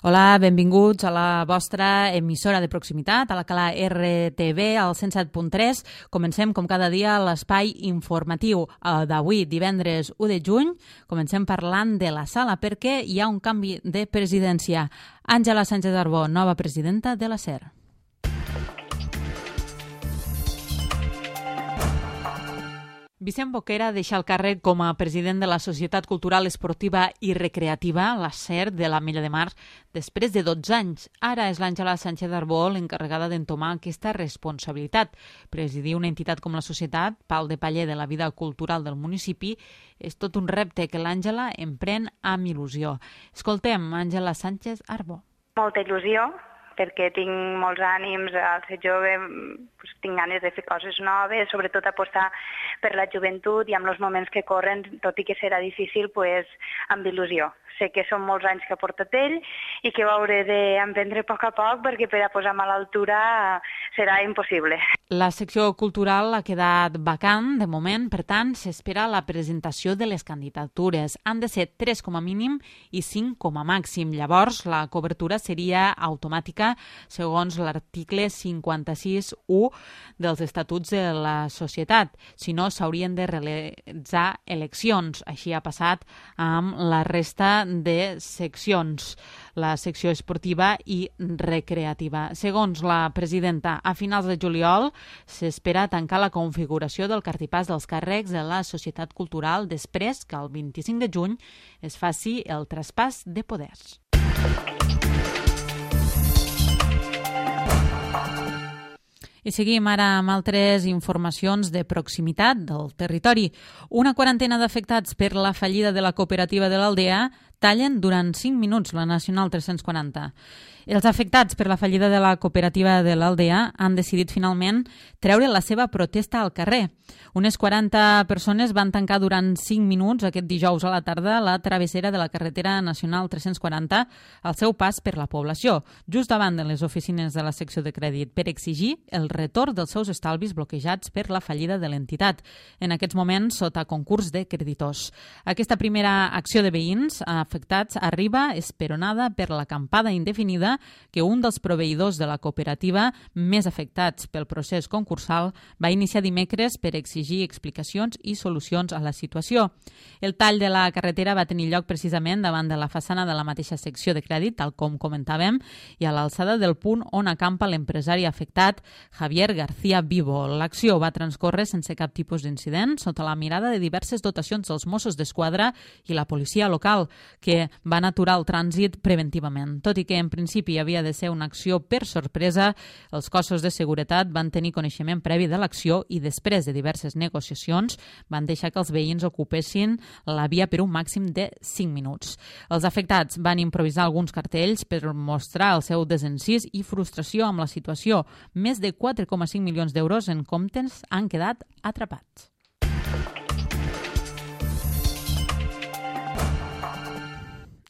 Hola, benvinguts a la vostra emissora de proximitat, a la Cala RTV, al 107.3. Comencem, com cada dia, l'espai informatiu d'avui, divendres 1 de juny. Comencem parlant de la sala perquè hi ha un canvi de presidència. Àngela Sánchez Arbó, nova presidenta de la SER. Vicent Boquera deixa el càrrec com a president de la Societat Cultural, Esportiva i Recreativa, la SER, de l'Ametlla de Mar, després de 12 anys. Ara és l'Àngela Sánchez Arbó l'encarregada d'entomar aquesta responsabilitat. Presidir una entitat com la Societat, pal de paller de la vida cultural del municipi, és tot un repte que l'Àngela emprèn amb il·lusió. Escoltem Àngela Sánchez Arbó. Molta il·lusió, perquè tinc molts ànims, al ser jove tinc ganes de fer coses noves, sobretot apostar per la joventut i amb els moments que corren, tot i que serà difícil, amb il·lusió. Sé que són molts anys que ha portat ell i que ho hauré d'emprendre a poc perquè per a posar-me a l'altura serà impossible. La secció cultural ha quedat vacant de moment, per tant, s'espera la presentació de les candidatures. Han de ser 3 com a mínim i 5 com a màxim. Llavors, la cobertura seria automàtica segons l'article 56.1 dels Estatuts de la Societat. Si no, s'haurien de realitzar eleccions. Així ha passat amb la resta de seccions, la secció esportiva i recreativa. Segons la presidenta, a finals de juliol s'espera tancar la configuració del cartipàs dels càrrecs de la Societat Cultural després que el 25 de juny es faci el traspàs de poders. I seguim ara amb altres informacions de proximitat del territori. Una quarantena d'afectats per la fallida de la cooperativa de l'Aldea tallen durant 5 minuts la Nacional 340. Els afectats per la fallida de la cooperativa de l'Aldea han decidit finalment treure la seva protesta al carrer. Unes 40 persones van tancar durant 5 minuts aquest dijous a la tarda la travessera de la carretera Nacional 340 al seu pas per la població, just davant de les oficines de la secció de crèdit, per exigir el retorn dels seus estalvis bloquejats per la fallida de l'entitat, en aquests moments sota concurs de creditors. Aquesta primera acció de veïns afectats arriba esperonada per l'acampada indefinida que un dels proveïdors de la cooperativa més afectats pel procés concursal va iniciar dimecres per exigir explicacions i solucions a la situació. El tall de la carretera va tenir lloc precisament davant de la façana de la mateixa secció de crèdit, tal com comentàvem, i a l'alçada del punt on acampa l'empresari afectat, Javier García Vivo. L'acció va transcórrer sense cap tipus d'incident, sota la mirada de diverses dotacions dels Mossos d'Esquadra i la policia local, que van aturar el trànsit preventivament. Tot i que en principi havia de ser una acció per sorpresa, els cossos de seguretat van tenir coneixement previ de l'acció i després de diverses negociacions van deixar que els veïns ocupessin la via per un màxim de 5 minuts. Els afectats van improvisar alguns cartells per mostrar el seu desencís i frustració amb la situació. Més de 4,5 milions d'euros en comptes han quedat atrapats.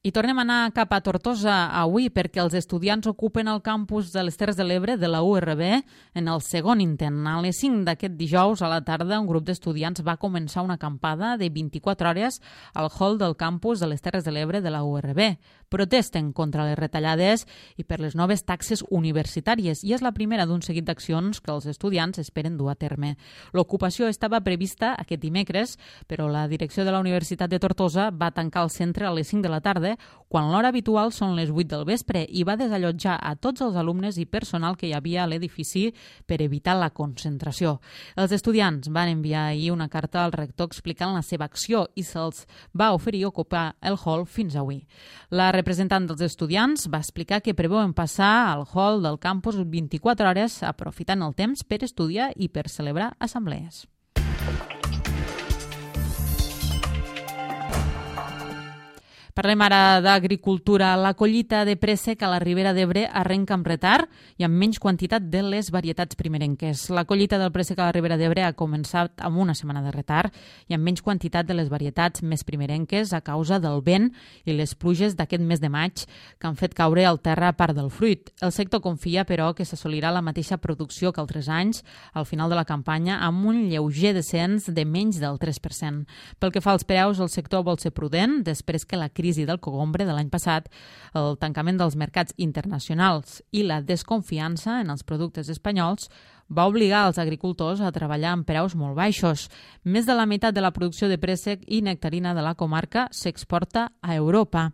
I tornem a anar cap a Tortosa avui perquè els estudiants ocupen el campus de les Terres de l'Ebre de la URB en el segon intent. A les 5 d'aquest dijous a la tarda un grup d'estudiants va començar una acampada de 24 hores al hall del campus de les Terres de l'Ebre de la URB. Protesten contra les retallades i per les noves taxes universitàries i és la primera d'un seguit d'accions que els estudiants esperen dur a terme. L'ocupació estava prevista aquest dimecres, però la direcció de la Universitat de Tortosa va tancar el centre a les 5 de la tarda quan l'hora habitual són les 8 del vespre i va desallotjar a tots els alumnes i personal que hi havia a l'edifici per evitar la concentració. Els estudiants van enviar ahir una carta al rector explicant la seva acció i se'ls va oferir ocupar el hall fins avui. La representant dels estudiants va explicar que preveuen passar al hall del campus 24 hores aprofitant el temps per estudiar i per celebrar assemblees. Parlem ara d'agricultura. La collita de préssec a la Ribera d'Ebre arrenca amb retard i amb menys quantitat de les varietats primerenques. La collita del préssec a la Ribera d'Ebre ha començat amb una setmana de retard i amb menys quantitat de les varietats més primerenques a causa del vent i les pluges d'aquest mes de maig que han fet caure al terra part del fruit. El sector confia, però, que s'assolirà la mateixa producció que altres anys al final de la campanya amb un lleuger descens de menys del 3%. Pel que fa als preus, el sector vol ser prudent després que la crisi crisi del cogombre de l'any passat, el tancament dels mercats internacionals i la desconfiança en els productes espanyols va obligar els agricultors a treballar amb preus molt baixos. Més de la meitat de la producció de préssec i nectarina de la comarca s'exporta a Europa.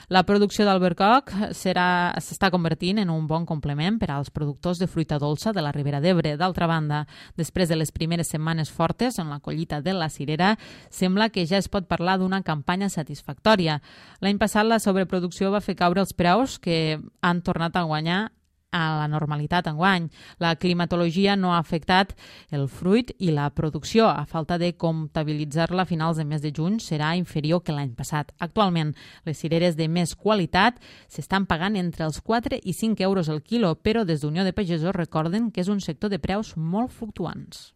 La producció d'albercoc s'està convertint en un bon complement per als productors de fruita dolça de la Ribera d'Ebre. D'altra banda, després de les primeres setmanes fortes en la collita de la cirera, sembla que ja es pot parlar d'una campanya satisfactòria. L'any passat la sobreproducció va fer caure els preus, que han tornat a guanyar a la normalitat enguany. La climatologia no ha afectat el fruit i la producció, a falta de comptabilitzar-la a finals de mes de juny, serà inferior que l'any passat. Actualment, les cireres de més qualitat s'estan pagant entre els 4 i 5 euros el quilo, però des d'Unió de Pagesos recorden que és un sector de preus molt fluctuants.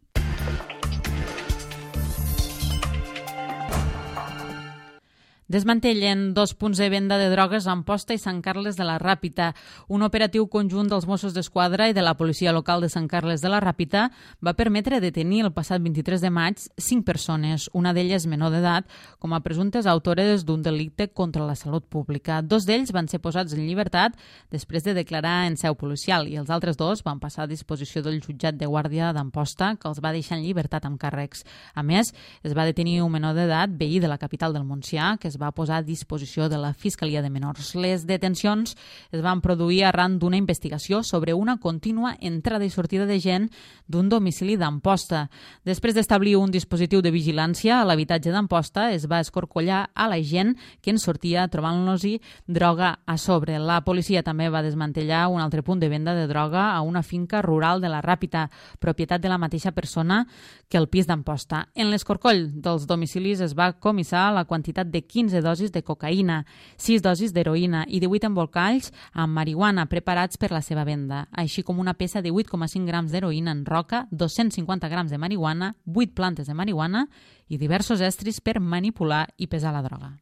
Desmantellen 2 punts de venda de drogues a Amposta i Sant Carles de la Ràpita. Un operatiu conjunt dels Mossos d'Esquadra i de la policia local de Sant Carles de la Ràpita va permetre detenir el passat 23 de maig 5 persones, una d'elles menor d'edat, com a presumptes autores d'un delicte contra la salut pública. 2 d'ells van ser posats en llibertat després de declarar en seu policial i els altres 2 van passar a disposició del jutjat de guàrdia d'Amposta, que els va deixar en llibertat amb càrrecs. A més, es va detenir un menor d'edat, veí de la capital del Montsià, que es va posar a disposició de la Fiscalia de Menors. Les detencions es van produir arran d'una investigació sobre una contínua entrada i sortida de gent d'un domicili d'Amposta. Després d'establir un dispositiu de vigilància a l'habitatge d'Amposta, es va escorcollar a la gent que en sortia trobant-los-hi droga a sobre. La policia també va desmantellar un altre punt de venda de droga a una finca rural de la Ràpita, propietat de la mateixa persona que el pis d'Amposta. En l'escorcoll dels domicilis es va comissar la quantitat de 15 dosis de cocaïna, 6 dosis d'heroïna i 18 embolcalls amb marihuana preparats per la seva venda, així com una peça de 8,5 grams d'heroïna en roca, 250 grams de marihuana, 8 plantes de marihuana i diversos estris per manipular i pesar la droga.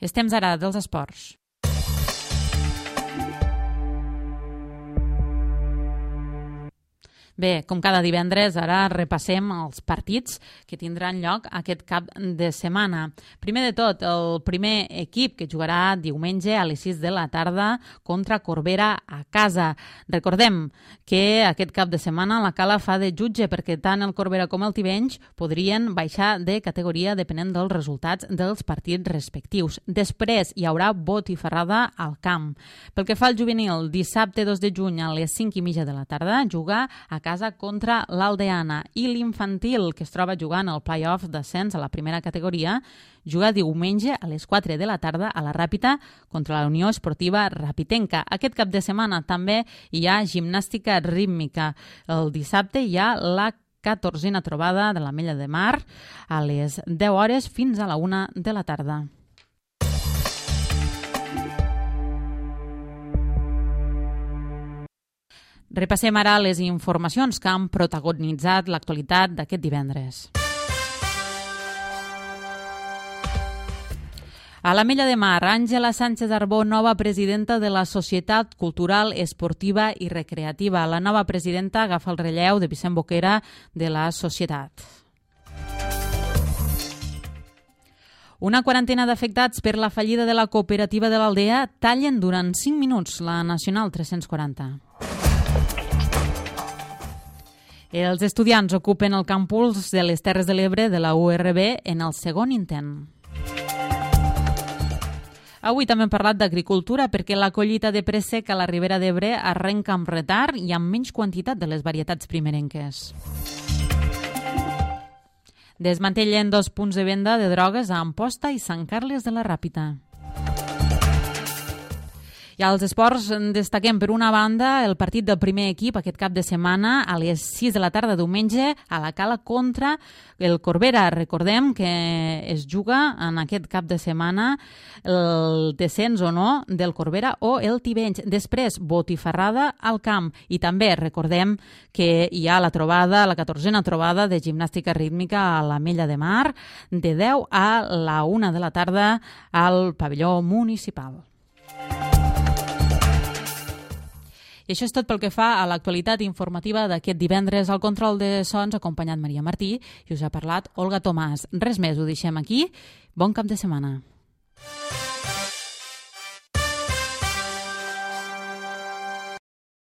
És temps ara dels esports. Bé, com cada divendres, ara repassem els partits que tindran lloc aquest cap de setmana. Primer de tot, el primer equip que jugarà diumenge a les 6 de la tarda contra Corbera a casa. Recordem que aquest cap de setmana la Cala fa de jutge perquè tant el Corbera com el Tivenys podrien baixar de categoria depenent dels resultats dels partits respectius. Després hi haurà botifarrada al camp. Pel que fa al juvenil, dissabte 2 de juny a les 5:30 de la tarda jugar a casa contra l'Aldeana, i l'infantil, que es troba jugant el play-off d'ascens a la primera categoria, juga diumenge a les 4 de la tarda a la Ràpita contra la Unió Esportiva Rapitenca. Aquest cap de setmana també hi ha gimnàstica rítmica. El dissabte hi ha la 14a trobada de l'Ametlla de Mar a les 10 hores fins a la 1 de la tarda. Repassem ara les informacions que han protagonitzat l'actualitat d'aquest divendres. A l'Ametlla de Mar, Àngela Sánchez Arbó, nova presidenta de la Societat Cultural, Esportiva i Recreativa. La nova presidenta agafa el relleu de Vicent Boquera de la societat. Una quarantena d'afectats per la fallida de la cooperativa de l'Aldea tallen durant 5 minuts la Nacional 340. Els estudiants ocupen el campus de les Terres de l'Ebre de la URB en el segon intent. Avui també hem parlat d'agricultura perquè la collita de préssec a la Ribera d'Ebre arrenca amb retard i amb menys quantitat de les varietats primerenques. Desmantellen 2 punts de venda de drogues a Amposta i Sant Carles de la Ràpita. I als esports destaquem, per una banda, el partit del primer equip aquest cap de setmana a les 6 de la tarda diumenge a la Cala contra el Corbera. Recordem que es juga en aquest cap de setmana el descens o no del Corbera o el Tivenys. Després, botifarrada al camp. I també recordem que hi ha la 14a trobada de gimnàstica rítmica a l'Ametlla de Mar de 10 a la 1 de la tarda al pavelló municipal. I això és tot pel que fa a l'actualitat informativa d'aquest divendres. Al control de sons, acompanyat Maria Martí, i us ha parlat Olga Tomàs. Res més, ho deixem aquí. Bon cap de setmana.